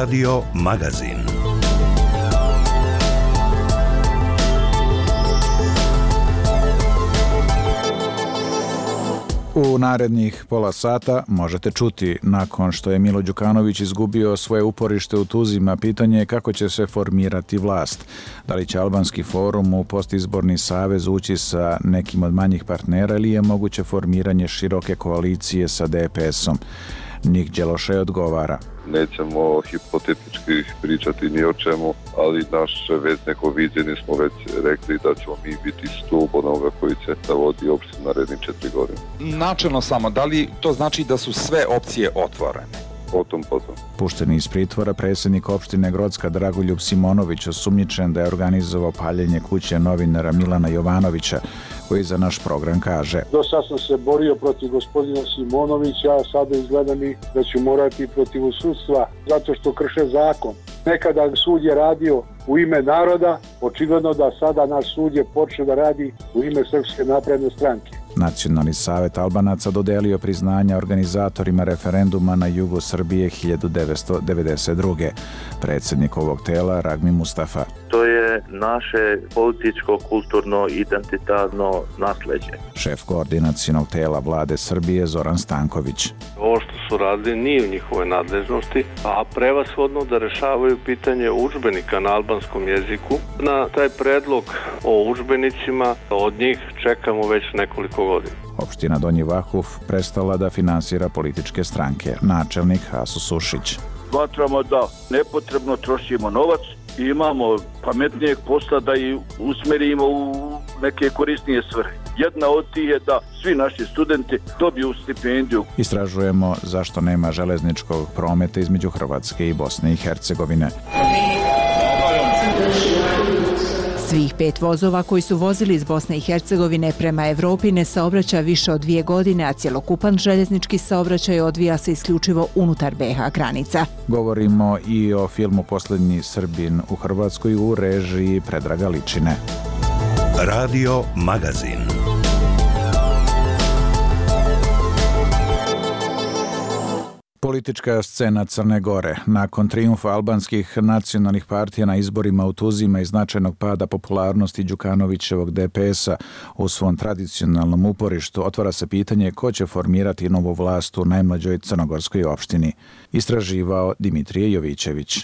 Radio Magazin. U narednih pola sata možete čuti, nakon što je Milo Đukanović izgubio svoje uporište u Tuzima, pitanje je kako će se formirati vlast. Da li će Albanski forum u postizborni savez ući sa nekim od manjih partnera ili je moguće formiranje široke koalicije sa DPS-om? Nik Đelošaj odgovara. Nećemo hipotetički pričati ni o čemu, ali naše već neko viđenje smo već rekli da ćemo mi biti stup onoga koji će da vodi opštinu narednih 4 godine. Načelno samo, da li to znači da su sve opcije otvorene? Potom. Pušteni iz pritvora predsjednik opštine Grocka Dragoljub Simonović osumnjičen da je organizovao paljenje kuće novinara Milana Jovanovića, koji za naš program kaže: Do sad sam se borio protiv gospodina Simonovića, a sada izgleda mi da ću morati protiv sudstva zato što krše zakon. Nekada sud je radio u ime naroda, očigledno da sada naš sud je počeo da radi u ime Srpske napredne stranke. Nacionalni savet Albanaca dodelio priznanja organizatorima referenduma na jugu Srbije 1992. Predsjednik ovog tela Ragmi Mustafa. To je naše političko, kulturno, identitarno nasleđe. Šef koordinacionog tela vlade Srbije Zoran Stanković. Ovo što su radili nije u njihovoj nadležnosti, a prevashodno da rešavaju pitanje udžbenika na albanskom jeziku. Na taj predlog o udžbenicima od njih čekamo već nekoliko godina. Opština Donji Vahuf prestala da finansira političke stranke. Načelnik Haso Sušić. Smatramo da nepotrebno trošimo novac i imamo pametnijeg posla da i usmerimo u neke korisnije svrhe. Jedna od tih je da svi naši studenti dobiju stipendiju. Istražujemo zašto nema železničkog prometa između Hrvatske i Bosne i Hercegovine. Svih 5 vozova koji su vozili iz Bosne i Hercegovine prema Evropi ne saobraća više od 2 godine, a cjelokupan željeznički saobraćaj odvija se isključivo unutar BiH granica. Govorimo i o filmu Posljednji Srbin u Hrvatskoj u režiji Predraga Ličine. Radio Magazin. Politička scena Crne Gore. Nakon trijumfa albanskih nacionalnih partija na izborima u Tuzima i značajnog pada popularnosti Đukanovićevog DPS-a u svom tradicionalnom uporištu, otvara se pitanje ko će formirati novu vlast u najmlađoj crnogorskoj opštini. Istraživao Dimitrije Jovićević.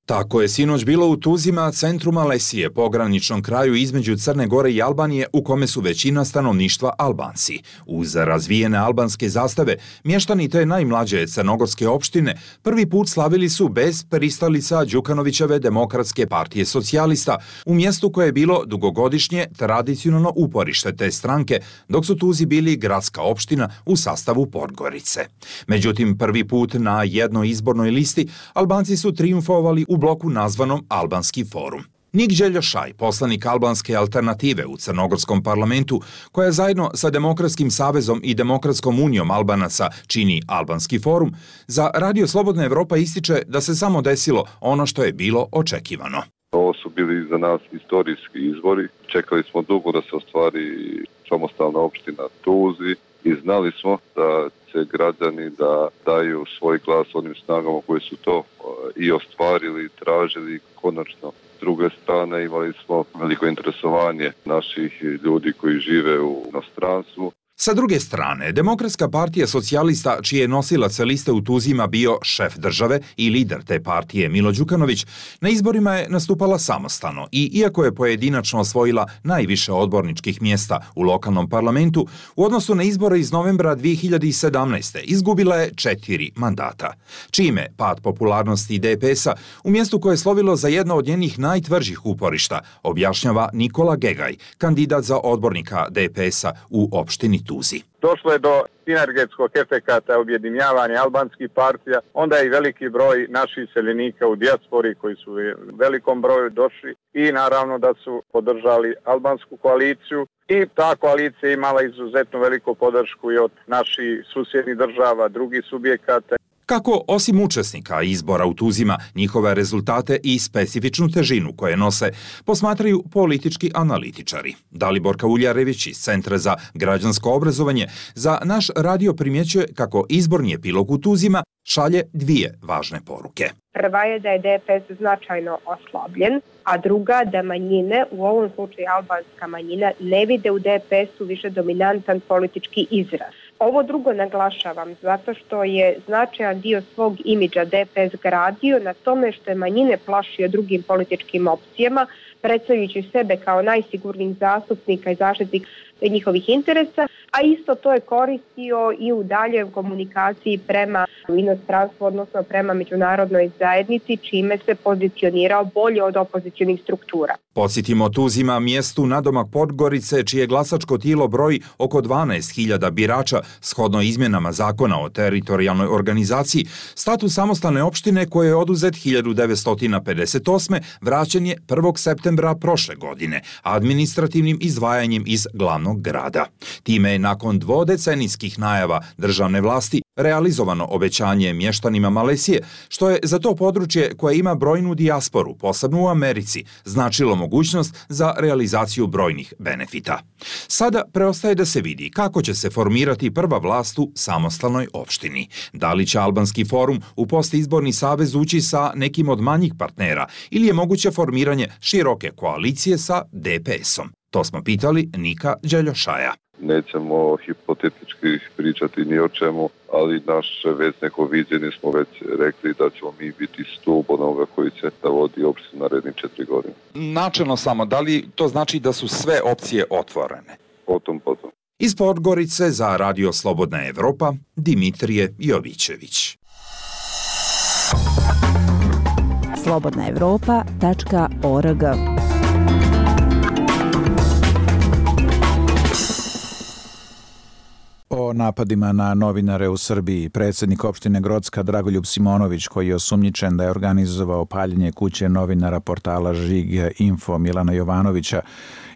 Tako je sinoć bilo u Tuzima, centru Malesije, pograničnom kraju između Crne Gore i Albanije, u kome su većina stanovništva Albanci. Uz razvijene albanske zastave, mještani te najmlađe crnogorske opštine prvi put slavili su bez pristalica Đukanovićeve Demokratske partije socijalista, u mjestu koje je bilo dugogodišnje tradicionalno uporište te stranke, dok su Tuzi bili gradska opština u sastavu Podgorice. Međutim, prvi put na jednoj izbornoj listi Albanci su trijumfovali u bloku nazvanom Albanski forum. Nik Đelošaj, poslanik Albanske alternative u Crnogorskom parlamentu, koja zajedno sa Demokratskim savezom i Demokratskom unijom Albanaca čini Albanski forum, za Radio Slobodna Evropa ističe da se samo desilo ono što je bilo očekivano. Ovo su bili za nas istorijski izbori. Čekali smo dugo da se ostvari samostalna opština Tuzi i znali smo da će građani da daju svoj glas onim snagama koji su to i ostvarili, tražili konačno. S druge strane imali smo veliko interesovanje naših ljudi koji žive u inostranstvu. Sa druge strane, Demokratska partija socijalista, čiji je nosilac liste u Tuzima bio šef države i lider te partije Milo Đukanović, na izborima je nastupala samostalno i iako je pojedinačno osvojila najviše odborničkih mjesta u lokalnom parlamentu, u odnosu na izbore iz novembra 2017. izgubila je 4 mandata. Čime pad popularnosti DPS-a u mjestu koje je slovilo za jedno od njenih najtvrđih uporišta, objašnjava Nikola Gegaj, kandidat za odbornika DPS-a u opštini Tuzi. Došlo je do sinergetskog efekata objedinjavanja albanskih partija, onda je i veliki broj naših iseljenika u dijaspori koji su u velikom broju došli i naravno da su podržali albansku koaliciju i ta koalicija imala izuzetno veliku podršku i od naših susjednih država, drugih subjekata. Kako osim učesnika izbora u Tuzima, njihove rezultate i specifičnu težinu koje nose, posmatraju politički analitičari. Dalibor Kauljarević iz Centra za građansko obrazovanje za naš radio primjećuje kako izborni epilog u Tuzima šalje dvije važne poruke. Prva je da je DPS značajno oslabljen, a druga da manjine, u ovom slučaju albanska manjina, ne vide u DPS-u više dominantan politički izraz. Ovo drugo naglašavam zato što je značajan dio svog imidža DPS gradio na tome što je manjine plašio drugim političkim opcijama, predstavljajući sebe kao najsigurnijih zastupnika i zaštitnik njihovih interesa, a isto to je koristio i u daljoj komunikaciji prema inostranstvu, odnosno prema međunarodnoj zajednici, čime se pozicionirao bolje od opozicionih struktura. Podsjetimo, Tuzima, mjestu nadomak Podgorice, čije glasačko tijelo broji oko 12.000 birača, shodno izmjenama zakona o teritorijalnoj organizaciji, status samostalne opštine koje je oduzet 1958. vraćen je 1. septembra prošle godine, administrativnim izdvajanjem iz glavnog grada. Time je nakon dvodecenijskih najava državne vlasti realizovano obećanje mještanima Malesije, što je za to područje koje ima brojnu dijasporu, posebno u Americi, značilo mogućnost za realizaciju brojnih benefita. Sada preostaje da se vidi kako će se formirati prva vlast u samostalnoj opštini. Da li će Albanski forum u postizborni savez ući sa nekim od manjih partnera ili je moguće formiranje široke koalicije sa DPS-om? To smo pitali Nika Đeljošaja. Nećemo hipotetički pričati ni o čemu, ali naše već neko viđenje smo već rekli da ćemo mi biti stup onoga koji će da vodi opštinu narednih 4 godine. Načelno samo, da li to znači da su sve opcije otvorene? Potom. Iz Podgorice za Radio Slobodna Evropa, Dimitrije Jovićević. slobodnaevropa.org. O napadima na novinare u Srbiji, predsjednik opštine Grocka Dragoljub Simonović, koji je osumnjičen da je organizovao paljenje kuće novinara portala Žig.info Milana Jovanovića,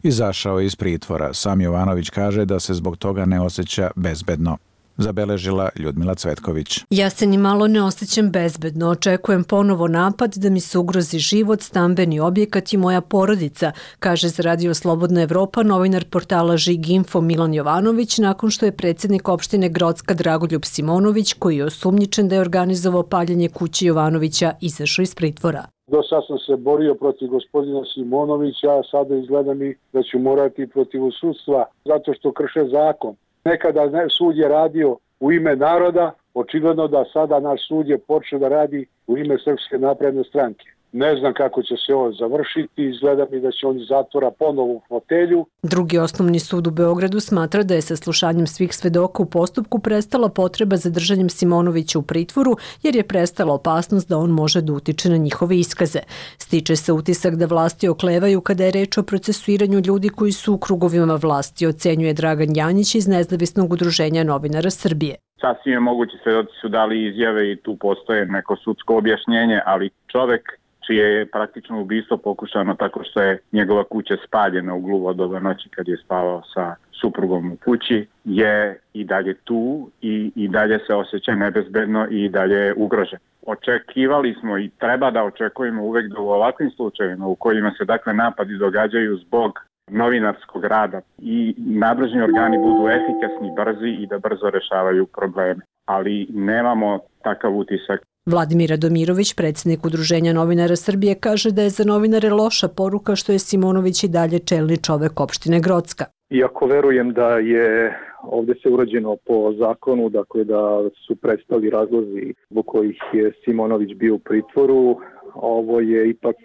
izašao iz pritvora. Sam Jovanović kaže da se zbog toga ne osjeća bezbedno. Zabeležila Ljudmila Cvetković. Ja se ni malo ne osjećam bezbedno. Očekujem ponovo napad da mi se ugrozi život, stambeni objekat i moja porodica, kaže za Radio Slobodna Evropa novinar portala Žig.info Milan Jovanović nakon što je predsjednik opštine Grocka Dragoljub Simonović, koji je osumnjičen da je organizovao paljenje kuće Jovanovića, izašao iz pritvora. Do sad sam se borio protiv gospodina Simonovića, a sada izgleda mi da ću morati protiv sudstva zato što krše zakon. Nekada sud je radio u ime naroda, očigledno da sada naš sud je počeo da radi u ime Srpske napredne stranke. Ne znam kako će se ovo završiti, izgleda mi da će on iz zatvora ponovo u fotelju. Drugi osnovni sud u Beogradu smatra da je sa slušanjem svih svedoka u postupku prestala potreba za držanjem Simonovića u pritvoru, jer je prestala opasnost da on može da utiče na njihove iskaze. Stiče se utisak da vlasti oklevaju kada je reč o procesuiranju ljudi koji su u krugovima vlasti, ocenjuje Dragan Janjić iz Nezavisnog udruženja novinara Srbije. Sasvim je moguće, svedoci su dali izjave i tu postoje neko sudsko objašnjenje, ali čovek čije je praktično ubistvo pokušano tako što je njegova kuća spaljena u gluvo doba noći kad je spavao sa suprugom u kući, je i dalje tu i dalje se osjeća nebezbedno i dalje je ugrožen. Očekivali smo i treba da očekujemo uvek da u ovakvim slučajevima u kojima se dakle napadi događaju zbog novinarskog rada i nadležni organi budu efikasni, brzi i da brzo rešavaju probleme. Ali nemamo takav utisak. Vladimir Radomirović, predsjednik Udruženja novinara Srbije, kaže da je za novinare loša poruka što je Simonović i dalje čelni čovek opštine Grocka. Iako verujem da je ovdje se urađeno po zakonu, dakle da su prestali razlozi zbog kojih je Simonović bio u pritvoru, ovo je ipak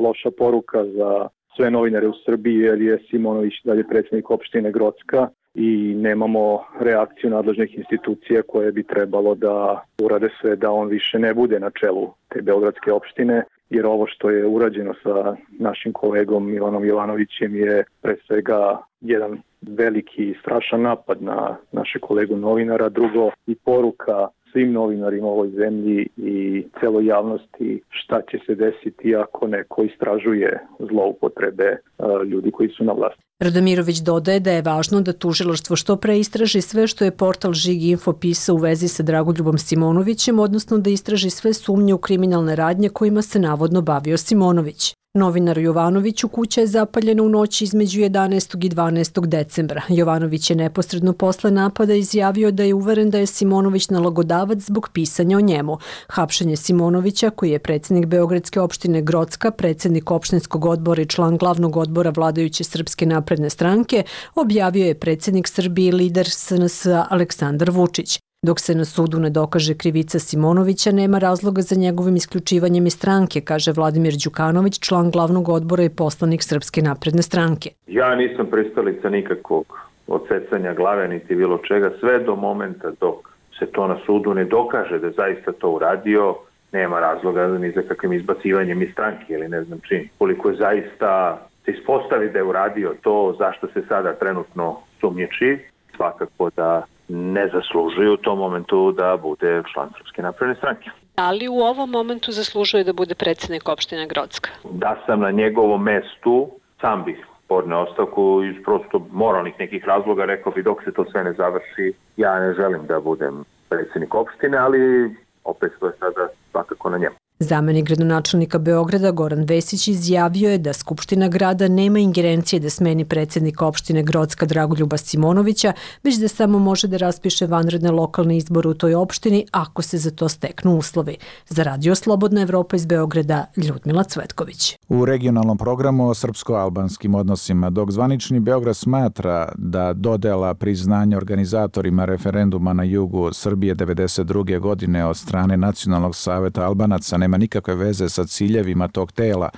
loša poruka za sve novinare u Srbiji jer je Simonović dalje predsjednik opštine Grocka i nemamo reakciju nadležnih institucija koje bi trebalo da urade sve da on više ne bude na čelu te beogradske opštine, jer ovo što je urađeno sa našim kolegom Milanom Jovanovićem je pre svega jedan veliki i strašan napad na naše kolegu novinara, drugo i poruka svim novinarima u ovoj zemlji i celoj javnosti šta će se desiti ako neko istražuje zloupotrebe ljudi koji su na vlasti. Radomirović dodaje da je važno da tužilaštvo što pre istraži sve što je portal Žig Info pisao u vezi sa Dragoljubom Simonovićem, odnosno da istraži sve sumnje u kriminalne radnje kojima se navodno bavio Simonović. Novinaru Jovanoviću kuća je zapaljena u noći između 11. i 12. decembra. Jovanović je neposredno posle napada izjavio da je uveren da je Simonović nalogodavac zbog pisanja o njemu. Hapšenje Simonovića, koji je predsjednik Beogradske opštine Grocka, predsjednik opštinskog odbora i član glavnog odbora vladajuće Srpske napredne stranke, objavio je predsjednik Srbije i lider SNS Aleksandar Vučić. Dok se na sudu ne dokaže krivica Simonovića, nema razloga za njegovim isključivanjem iz stranke, kaže Vladimir Đukanović, član glavnog odbora i poslanik Srpske napredne stranke. Ja nisam pristalica nikakvog odsecanja glave niti bilo čega, sve do momenta dok se to na sudu ne dokaže da zaista to uradio, nema razloga ni za kakvim izbacivanjem iz stranke ili ne znam čim. Koliko je zaista se ispostavi da je uradio to zašto se sada trenutno sumnjiči, svakako da ne zaslužuju u tom momentu da bude član Srpske napredne stranke. Da li u ovom momentu zaslužuje da bude predsjednik opštine Grocka? Da sam na njegovom mestu, sam bih podneo ostavku iz prosto moralnih nekih razloga, rekao bi dok se to sve ne završi, ja ne želim da budem predsjednik opštine, ali opet to je sada svakako na njemu. Zamenik gradonačelnika Beograda Goran Vesić izjavio je da Skupština grada nema ingerencije da smeni predsjednika opštine Grocka Dragoljuba Simonovića, već da samo može da raspiše vanredne lokalne izbore u toj opštini ako se za to steknu uslovi. Za Radio Slobodna Evropa iz Beograda, Ljudmila Cvetković. U regionalnom programu o srpsko-albanskim odnosima, dok zvanični Beograd smatra da dodela priznanja organizatorima referenduma na jugu Srbije 1992. godine od strane Nacionalnog saveta Albanaca nema nikakve veze sa ciljevima tog tela,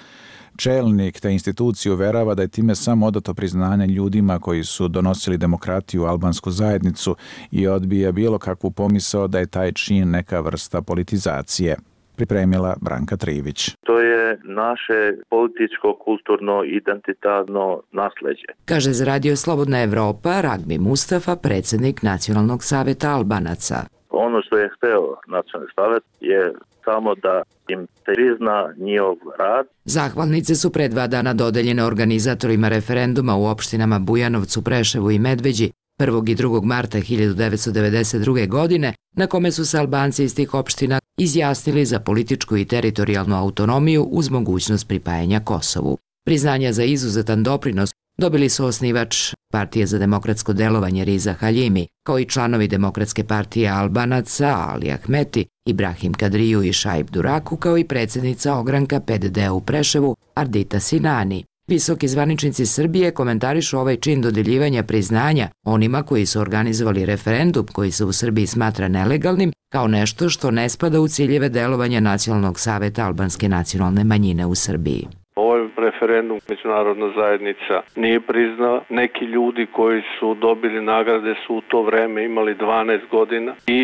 čelnik te institucije uverava da je time samo odato priznanje ljudima koji su donosili demokratiju u albansku zajednicu i odbija bilo kakvu pomisao da je taj čin neka vrsta politizacije. Pripremila Branka Trivić. To je naše političko, kulturno, identitarno nasleđe. Kaže za Radio Slobodna Evropa Ragbi Mustafa, predsjednik Nacionalnog saveta Albanaca. Ono što je hteo Nacionalni savet je samo da im prizna njihov rad. Zahvalnice su pre 2 dana dodeljene organizatorima referenduma u opštinama Bujanovcu, Preševu i Medveđi 1. i 2. marta 1992. godine, na kome su se Albanci iz tih opština izjasnili za političku i teritorijalnu autonomiju uz mogućnost pripajanja Kosovu. Priznanja za izuzetan doprinos dobili su osnivač Partije za demokratsko delovanje Riza Haljimi, kao i članovi Demokratske partije Albanaca Ali Ahmeti, Ibrahim Kadriju i Šaib Duraku, kao i predsjednica ogranka PDD u Preševu Ardita Sinani. Visoki zvaničnici Srbije komentarišu ovaj čin dodeljivanja priznanja onima koji su organizovali referendum koji se u Srbiji smatra nelegalnim kao nešto što ne spada u ciljeve delovanja Nacionalnog saveta albanske nacionalne manjine u Srbiji. Ovaj referendum međunarodna zajednica nije priznao. Neki ljudi koji su dobili nagrade su u to vreme imali 12 godina i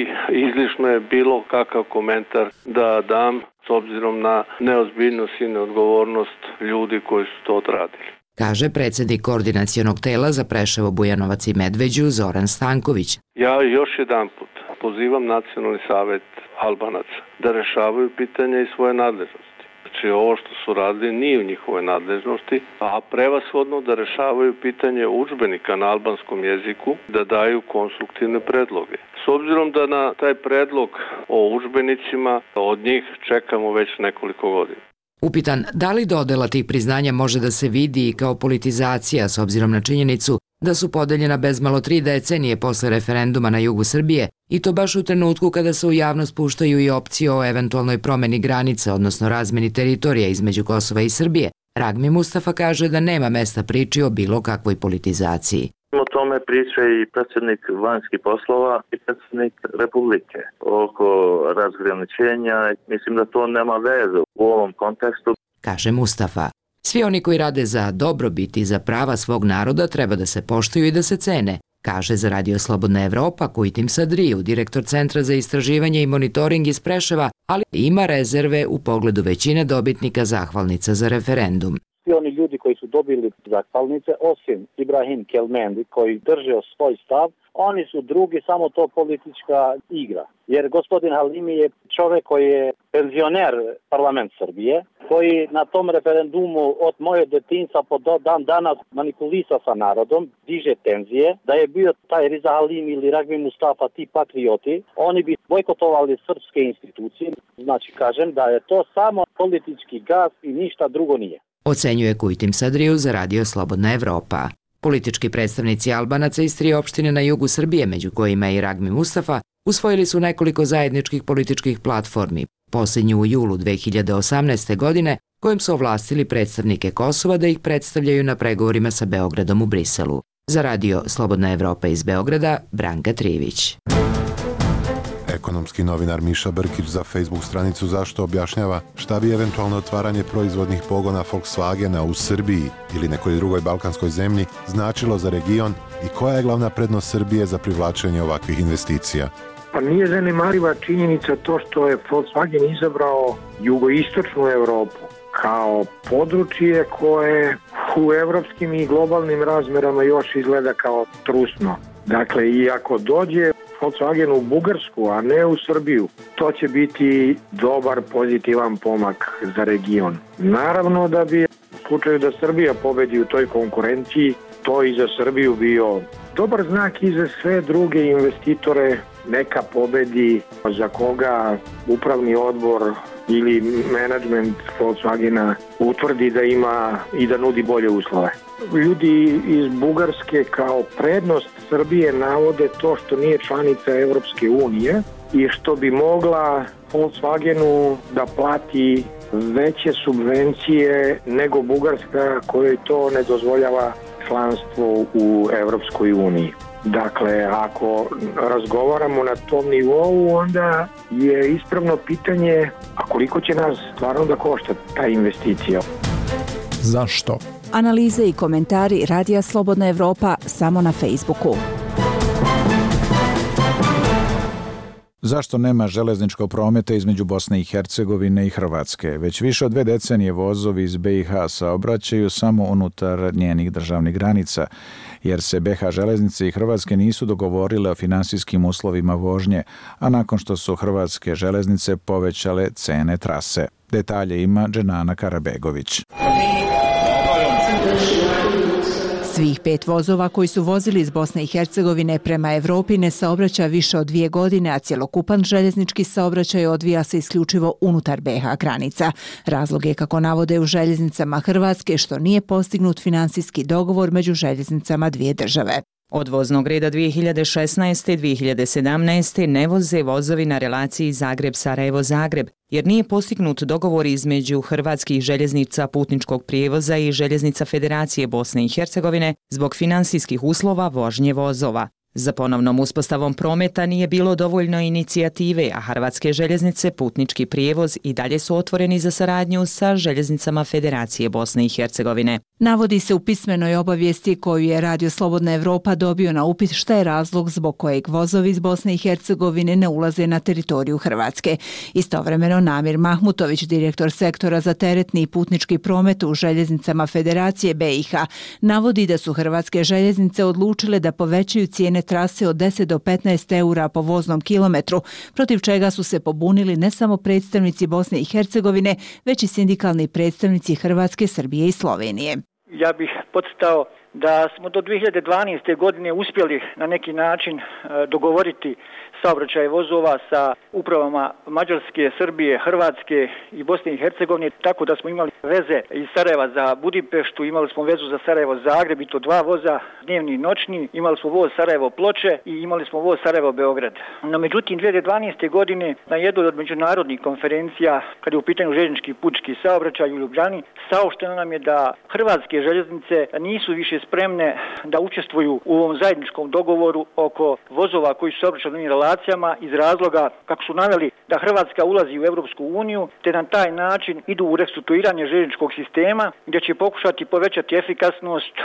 izlišno je bilo kakav komentar da dam s obzirom na neozbiljnost i neodgovornost ljudi koji su to odradili. Kaže predsjednik koordinacionog tela za Preševo, Bujanovac i Medveđu Zoran Stanković. Ja još jedan put pozivam Nacionalni savet Albanaca da rešavaju pitanja i svoje nadležnosti. Znači ovo što su radili nije u njihovoj nadležnosti, a prevashodno da rešavaju pitanje udžbenika na albanskom jeziku, da daju konstruktivne predloge. S obzirom da na taj predlog o udžbenicima od njih čekamo već nekoliko godina. Upitan da li dodela tih priznanja može da se vidi i kao politizacija s obzirom na činjenicu da su podeljena bezmalo 3 decenije posle referenduma na jugu Srbije i to baš u trenutku kada se u javnost puštaju i opcije o eventualnoj promeni granica, odnosno razmeni teritorija između Kosova i Srbije, Ragbi Mustafa kaže da nema mesta priči o bilo kakvoj politizaciji. O tome priča i predsjednik vanjskih poslova i predsjednik Republike oko razgraničenja. Mislim da to nema veze u ovom kontekstu. Kaže Mustafa. Svi oni koji rade za dobrobit i za prava svog naroda treba da se poštuju i da se cene, kaže za Radio Slobodna Evropa Kujtim Sadriju, direktor Centra za istraživanje i monitoring iz Preševa, ali ima rezerve u pogledu većine dobitnika zahvalnica za referendum. Svi oni ljudi koji su dobili zahvalnice, osim Ibrahim Kelmendi koji držao svoj stav, oni su drugi, samo to politička igra. Jer gospodin Halimi je čovjek koji je penzioner parlament Srbije, koji na tom referendumu od moje detinjstva po dan danas manipulisa sa narodom, diže tenzije, da je bio taj Riza Halimi ili Ragbi Mustafa, ti patrioti, oni bi bojkotovali srpske institucije. Znači, kažem da je to samo politički gas i ništa drugo nije. Ocenjuje Kujtim Sadriju za Radio Slobodna Evropa. Politički predstavnici Albanaca iz 3 opštine na jugu Srbije, među kojima je i Ragbi Mustafa, usvojili su nekoliko zajedničkih političkih platformi, posljednju u julu 2018. godine, kojim su ovlastili predstavnike Kosova da ih predstavljaju na pregovorima sa Beogradom u Briselu. Za Radio Slobodna Evropa iz Beograda, Branka Trivić. Ekonomski novinar Miša Brkić za Facebook stranicu Zašto objašnjava šta bi eventualno otvaranje proizvodnih pogona Volkswagena u Srbiji ili nekoj drugoj balkanskoj zemlji značilo za region i koja je glavna prednost Srbije za privlačenje ovakvih investicija. Pa nije zanemariva činjenica to što je Volkswagen izabrao jugoistočnu Evropu kao područje koje u evropskim i globalnim razmerama još izgleda kao trusno. Dakle, i ako dođe Volkswagen u Bugarsku, a ne u Srbiju, to će biti dobar, pozitivan pomak za region. Naravno da bi u slučaju da Srbija pobedi u toj konkurenciji, to i za Srbiju bio dobar znak i za sve druge investitore, neka pobedi za koga upravni odbor ili menadžment Volkswagena utvrdi da ima i da nudi bolje uslove. Ljudi iz Bugarske kao prednost Srbije navode to što nije članica Evropske unije i što bi mogla Volkswagenu da plati veće subvencije nego Bugarska kojoj to ne dozvoljava članstvo u Evropskoj uniji. Dakle, ako razgovaramo na tom nivou, onda je ispravno pitanje, a koliko će nas stvarno da košta ta investicija? Zašto? Analize i komentari Radija Slobodna Evropa samo na Facebooku. Zašto nema železničkog prometa između Bosne i Hercegovine i Hrvatske? Već više od 2 decenije vozovi iz BiH saobraćaju samo unutar njenih državnih granica, jer se BiH železnice i Hrvatske nisu dogovorile o finansijskim uslovima vožnje, a nakon što su hrvatske železnice povećale cene trase. Detalje ima Dženana Karabegović. Svih 5 vozova koji su vozili iz Bosne i Hercegovine prema Evropi ne saobraća više od 2 godine, a cjelokupan željeznički saobraćaj odvija se isključivo unutar BiH granica. Razlog je, kako navode u željeznicama Hrvatske, što nije postignut finansijski dogovor među željeznicama dvije države. Od voznog reda 2016. i 2017. ne voze vozovi na relaciji Zagreb-Sarajevo-Zagreb, jer nije postignut dogovor između hrvatskih željeznica putničkog prijevoza i željeznica Federacije Bosne i Hercegovine zbog finansijskih uslova vožnje vozova. Za ponovnom uspostavom prometa nije bilo dovoljno inicijative, a hrvatske željeznice putnički prijevoz i dalje su otvoreni za saradnju sa željeznicama Federacije Bosne i Hercegovine. Navodi se u pismenoj obavijesti koju je Radio Slobodna Evropa dobio na upit šta je razlog zbog kojeg vozovi iz Bosne i Hercegovine ne ulaze na teritoriju Hrvatske. Istovremeno Namir Mahmutović, direktor sektora za teretni i putnički promet u željeznicama Federacije BiH, navodi da su hrvatske željeznice odlučile da povećaju cijene trase od 10 do 15 eura po voznom kilometru, protiv čega su se pobunili ne samo predstavnici Bosne i Hercegovine, već i sindikalni predstavnici Hrvatske, Srbije i Slovenije. Ja bih podcrtao da smo do 2012. godine uspjeli na neki način dogovoriti saobraćaj vozova sa upravama Mađarske, Srbije, Hrvatske i Bosne i Hercegovine, tako da smo imali veze iz Sarajeva za Budimpeštu, imali smo vezu za Sarajevo-Zagreb i to 2 voza, dnevni i noćni, imali smo voz Sarajevo-Ploče i imali smo voz Sarajevo-Beograd. No međutim, 2012. godine na jednoj od međunarodnih konferencija, kad je u pitanju željeznički putnički saobraćaj u Ljubljani, saopšteno nam je da hrvatske željeznice nisu više spremne da učestvuju u ovom zajedničkom dogovoru oko vozova koji su saobraćajnim relacijama iz razloga, kako su naveli, da Hrvatska ulazi u Europsku uniju, te na taj način idu u restrukturiranje željezničkog sistema, gdje će pokušati povećati efikasnost,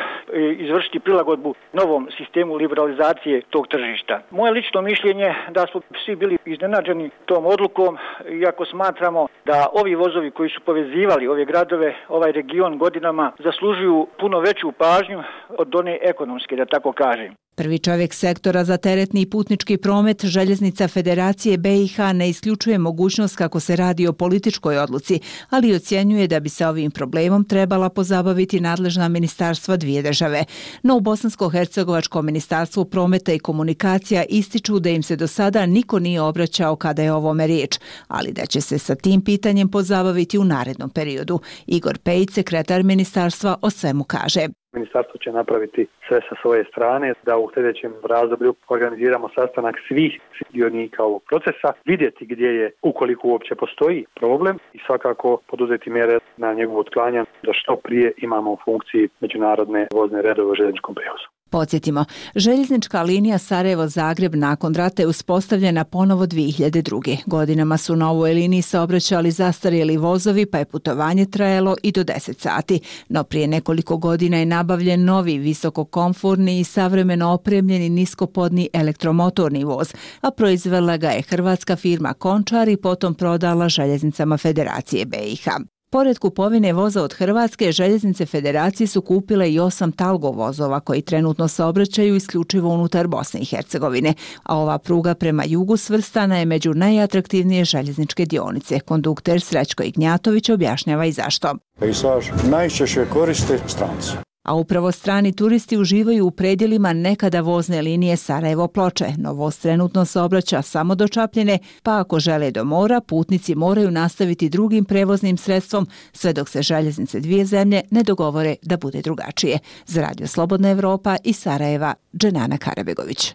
izvršiti prilagodbu novom sistemu liberalizacije tog tržišta. Moje lično mišljenje da smo svi bili iznenađeni tom odlukom, iako smatramo da ovi vozovi koji su povezivali ove gradove, ovaj region godinama, zaslužuju puno veću pažnju od one ekonomske, da tako kažem. Prvi čovjek sektora za teretni i putnički promet Željeznica Federacije BiH ne isključuje mogućnost kako se radi o političkoj odluci, ali ocjenjuje da bi se ovim problemom trebala pozabaviti nadležna ministarstva dvije države. No u Bosansko-hercegovačkom ministarstvu prometa i komunikacija ističu da im se do sada niko nije obraćao kada je o ovome riječ, ali da će se sa tim pitanjem pozabaviti u narednom periodu. Igor Pejić, sekretar ministarstva, o svemu kaže. Ministarstvo će napraviti sve sa svoje strane da u sljedećem razdoblju organiziramo sastanak svih dionika ovog procesa, vidjeti gdje je, ukoliko uopće postoji problem, i svakako poduzeti mjere na njegovu otklanjanje da što prije imamo u funkciji međunarodne vozne redove u željezničkom prijevozu. Podsjetimo, željeznička linija Sarajevo-Zagreb nakon rata je uspostavljena ponovo 2002. Godinama su na ovoj liniji saobraćali zastarjeli vozovi, pa je putovanje trajalo i do 10 sati. No prije nekoliko godina je nabavljen novi, visokokomforni i savremeno opremljeni niskopodni elektromotorni voz, a proizvela ga je hrvatska firma Končar i potom prodala Željeznicama Federacije BiH. Pored kupovine voza od Hrvatske, Željeznice Federacije su kupile i 8 Talgo vozova koji trenutno saobraćaju isključivo unutar Bosne i Hercegovine, a ova pruga prema jugu svrstana je među najatraktivnije željezničke dionice. Kondukter Srećko Ignjatović objašnjava i zašto. Pejsaž najčešće koriste stranci. A upravo strani turisti uživaju u predjelima nekada vozne linije Sarajevo-Ploče, no voz trenutno saobraća samo do Čapljine, pa ako žele do mora, putnici moraju nastaviti drugim prevoznim sredstvom, sve dok se željeznice dvije zemlje ne dogovore da bude drugačije. Za Radio Slobodna Evropa iz Sarajeva, Dženana Karabegović.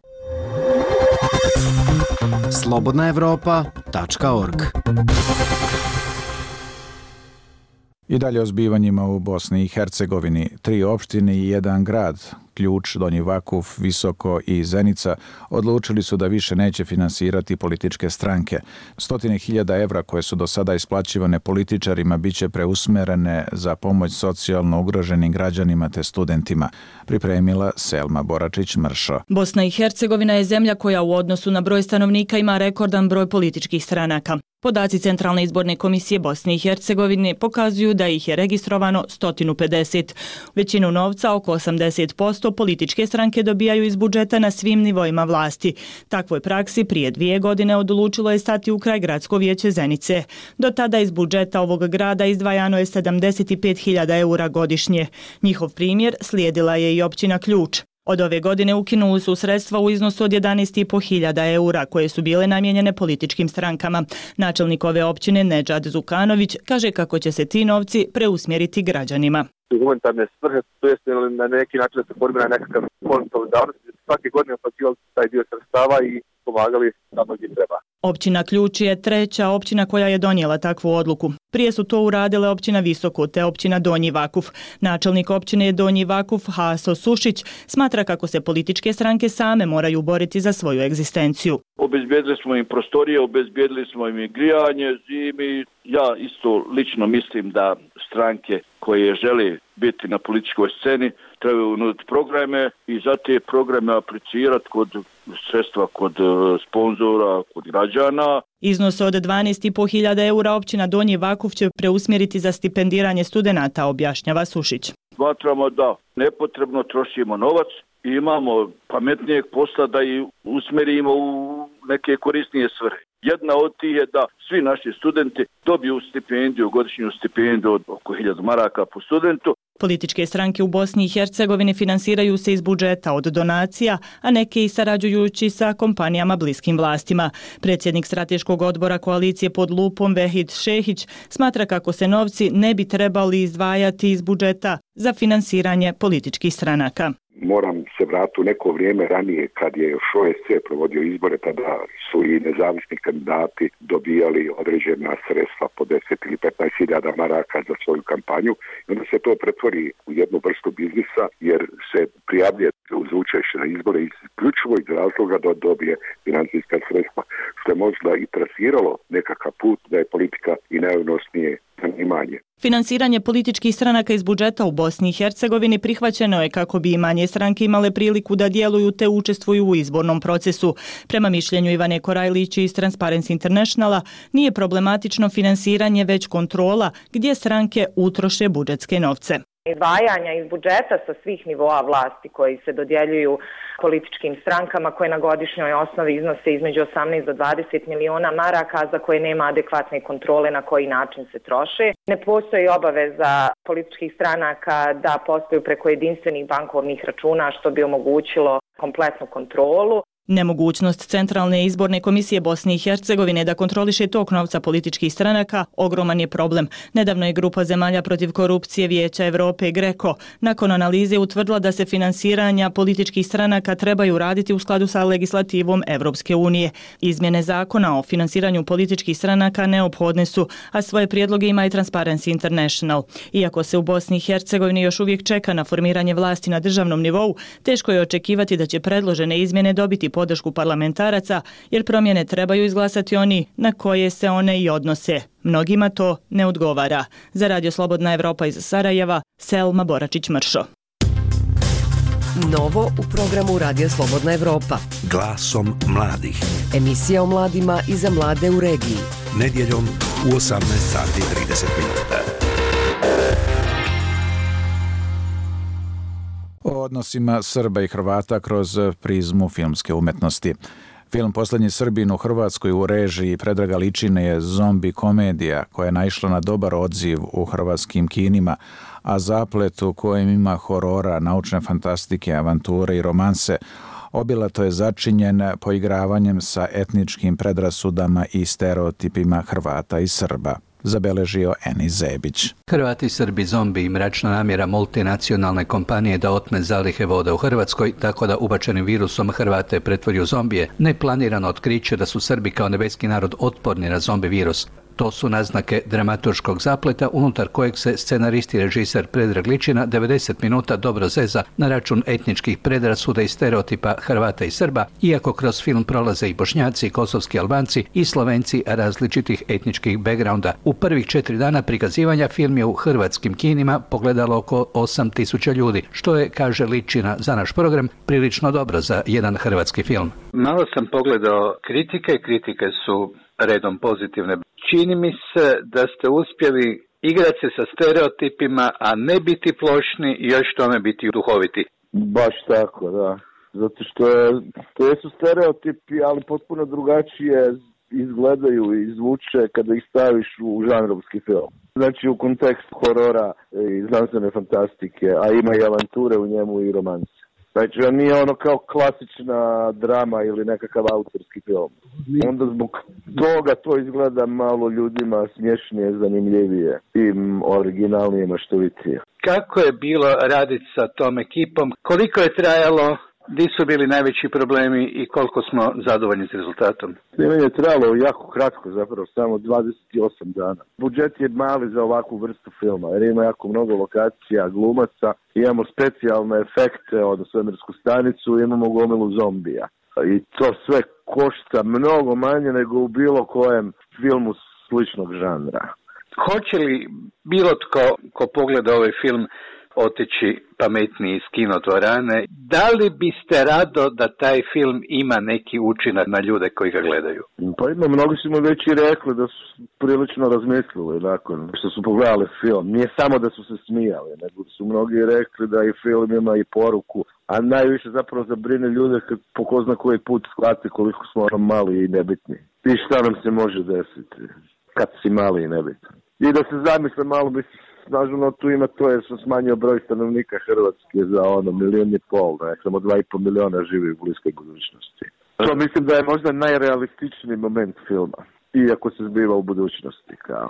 slobodnaevropa.org. I dalje o zbivanjima u Bosni i Hercegovini. 3 opštine i 1 grad, Ključ, Donji Vakuf, Visoko i Zenica, odlučili su da više neće finansirati političke stranke. 100.000 evra koje su do sada isplaćivane političarima biće preusmerene za pomoć socijalno ugroženim građanima te studentima, pripremila Selma Boračić-Mršo. Bosna i Hercegovina je zemlja koja u odnosu na broj stanovnika ima rekordan broj političkih stranaka. Podaci Centralne izborne komisije Bosne i Hercegovine pokazuju da ih je registrovano 150. Većinu novca, oko 80%, političke stranke dobijaju iz budžeta na svim nivoima vlasti. Takvoj praksi prije 2 godine odlučilo je stati u kraj Gradsko vijeće Zenice. Do tada iz budžeta ovog grada izdvajano je 75.000 eura godišnje. Njihov primjer slijedila je i općina Ključ. Od ove godine ukinuli su sredstva u iznosu od 11.500 eura koje su bile namijenjene političkim strankama. Načelnik ove općine Nedžad Zukanović kaže kako će se ti novci preusmjeriti građanima. Humanitarne svrhe, to jest na neki način da se formira nekakav fond solidarnosti, svake godine plaćivali taj dio sredstava i pomagali tamo gdje treba. Općina Ključ je 3. općina koja je donijela takvu odluku. Prije su to uradile općina Visoko te općina Donji Vakuf. Načelnik općine Donji Vakuf Haso Sušić smatra kako se političke stranke same moraju boriti za svoju egzistenciju. Obezbijedili smo im prostorije, obezbijedili smo im grijanje zimi. Ja isto lično mislim da stranke koje žele biti na političkoj sceni trebaju nuditi programe i za te programe aplicirati kod sredstva, kod sponzora, kod građana. Iznos od 12.500 eura općina Donji Vakuf će preusmjeriti za stipendiranje studenata, objašnjava Sušić. Smatramo da nepotrebno trošimo novac i imamo pametnijeg posla da i usmjerimo u neke korisnije svrhe. Jedna od tih je da svi naši studenti dobiju stipendiju, godišnju stipendiju od oko 1000 maraka po studentu. Političke stranke u Bosni i Hercegovini finansiraju se iz budžeta od donacija, a neke i sarađujući sa kompanijama bliskim vlastima. Predsjednik strateškog odbora koalicije pod lupom Vehid Šehić smatra kako se novci ne bi trebali izdvajati iz budžeta za finansiranje političkih stranaka. Moram se vratiti u neko vrijeme ranije kad je još OSC provodio izbore, tada su i nezavisni kandidati dobijali određena sredstva po 10 ili 15.000 maraka za svoju kampanju i onda se to pretvori u jednu vrstu biznisa jer se prijavljuje uz učešće na izbore isključivo iz razloga da dobije financijska sredstva, što je možda i trasiralo nekakav put da je politika i najodnosnije zanimanje. Finansiranje političkih stranaka iz budžeta u Bosni i Hercegovini prihvaćeno je kako bi i manje stranke imale priliku da djeluju te učestvuju u izbornom procesu. Prema mišljenju Ivane Korajlić iz Transparency Internationala, nije problematično finansiranje već kontrola gdje stranke utroše budžetske novce. Izdvajanja iz budžeta sa svih nivoa vlasti koji se dodjeljuju političkim strankama koje na godišnjoj osnovi iznose između 18 do 20 miliona maraka, za koje nema adekvatne kontrole na koji način se troše. Ne postoji obaveza političkih stranaka da posluju preko jedinstvenih bankovnih računa, što bi omogućilo kompletnu kontrolu. Nemogućnost Centralne izborne komisije Bosne i Hercegovine da kontroliše tok novca političkih stranaka ogroman je problem. Nedavno je grupa zemalja protiv korupcije Vijeća Evrope GRECO nakon analize utvrdila da se finansiranja političkih stranaka trebaju raditi u skladu sa legislativom Evropske unije. Izmjene zakona o finansiranju političkih stranaka neophodne su, a svoje prijedloge ima i Transparency International. Iako se u Bosni i Hercegovini još uvijek čeka na formiranje vlasti na državnom nivou, teško je očekivati da će predložene izmjene dobiti podršku parlamentaraca, jer promjene trebaju izglasati oni na koje se one i odnose. Mnogima to ne odgovara. Za Radio Slobodna Evropa iz Sarajeva, Selma Boračić-Mršo. Novo u programu Radio Slobodna Evropa. Glasom mladih. Emisija o mladima i za mlade u regiji. Nedjeljom u 18:30. O odnosima Srba i Hrvata kroz prizmu filmske umetnosti. Film Poslednji Srbin u Hrvatskoj u režiji Predraga Ličine je zombi komedija koja je naišla na dobar odziv u hrvatskim kinima, a zaplet u kojem ima horora, naučne fantastike, avanture i romanse, obilato je začinjen poigravanjem sa etničkim predrasudama i stereotipima Hrvata i Srba, zabeležio Enis Zebić. Hrvati, Srbi, zombi i mračna namjera multinacionalne kompanije da otme zalihe voda u Hrvatskoj, tako da ubačenim virusom Hrvate pretvori u zombije, neplanirano otkriće da su Srbi kao nebeski narod otporni na zombi virus. To su naznake dramaturškog zapleta unutar kojeg se scenarist i režiser Predrag Ličina 90 minuta dobro zeza na račun etničkih predrasuda i stereotipa Hrvata i Srba, iako kroz film prolaze i Bošnjaci, kosovski Albanci i Slovenci različitih etničkih backgrounda. U prvih 4 dana prikazivanja film je u hrvatskim kinima pogledalo oko 8.000 ljudi, što je, kaže Ličina za naš program, prilično dobro za jedan hrvatski film. Malo sam pogledao kritike su redom pozitivne. Čini mi se da ste uspjeli igrati se sa stereotipima, a ne biti plošni i još tome biti duhoviti. Baš tako, da. Zato što su stereotipi, ali potpuno drugačije izgledaju i zvuče kada ih staviš u žanrovski film. Znači u kontekstu horora i znanstvene fantastike, a ima i avanture u njemu i romanse. Znači, on nije ono kao klasična drama ili nekakav autorski film. Onda zbog toga to izgleda malo ljudima smješnije, zanimljivije i originalnije, maštovitije. Kako je bilo raditi sa tom ekipom? Koliko je trajalo? Gdje su bili najveći problemi i koliko smo zadovoljni s rezultatom? Snimanje je trajalo jako kratko, zapravo samo 28 dana. Budžet je mali za ovakvu vrstu filma, jer ima jako mnogo lokacija, glumaca, imamo specijalne efekte, od svemirsku stanicu, imamo gomilu zombija. I to sve košta mnogo manje nego u bilo kojem filmu sličnog žanra. Hoće li bilo ko pogleda ovaj film otići pametniji iz kinodvorane? Da li biste rado da taj film ima neki učinak na ljude koji ga gledaju? Pa ima, mnogi su mi već i rekli da su prilično razmislili nakon što su pogledali film. Nije samo da su se smijali, nego su mnogi rekli da i film ima i poruku, a najviše zapravo zabrine ljude kad po ko zna koji put shvate koliko smo mali i nebitni. I šta nam se može desiti kad si mali i nebitni. I da se zamisle malo, mislim, snažno tu ima to jer sam smanjio broj stanovnika Hrvatske za 1,5 miliona, ne, samo 2,5 miliona živi u bliskoj budućnosti. To mislim da je možda najrealističniji moment filma, iako se zbiva u budućnosti. Kao.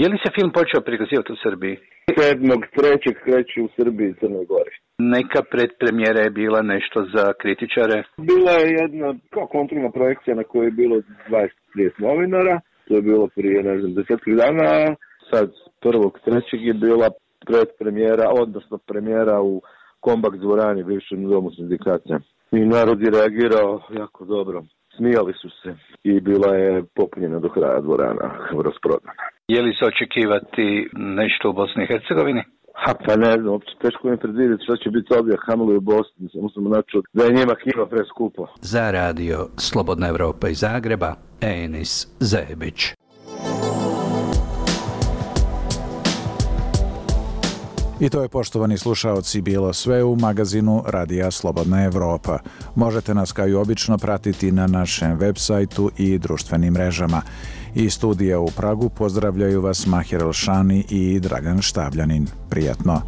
Je li se film počeo prikazivati u Srbiji? 7.3. kreće u Srbiji i Crnoj Gori. Neka predpremjera je bila nešto za kritičare? Bila je jedna kao kontrolna projekcija na kojoj je bilo 20-30 novinara. To je bilo prije, 10 dana. Sad 1.3. je bila predpremijera, odnosno premijera u Kombak dvorani, bivšem domu sindikata. I narod je reagirao jako dobro. Smijali su se i bila je popunjena do kraja dvorana, rasprodana. Je li se očekivati nešto u Bosni i Hercegovini? Pa ne znam, uopće teško mi predvidjeti što će biti ovdje, kamoli u Bosni, samo sam načuo da je njima knjiva preskupo. Za radio Slobodna Evropa iz Zagreba, Enis Zebić. I to je, poštovani slušaoci, bilo sve u magazinu Radija Slobodna Evropa. Možete nas kao i obično pratiti na našem web sajtu i društvenim mrežama. Iz studija u Pragu pozdravljaju vas Mahir Elšani i Dragan Štabljanin. Prijatno!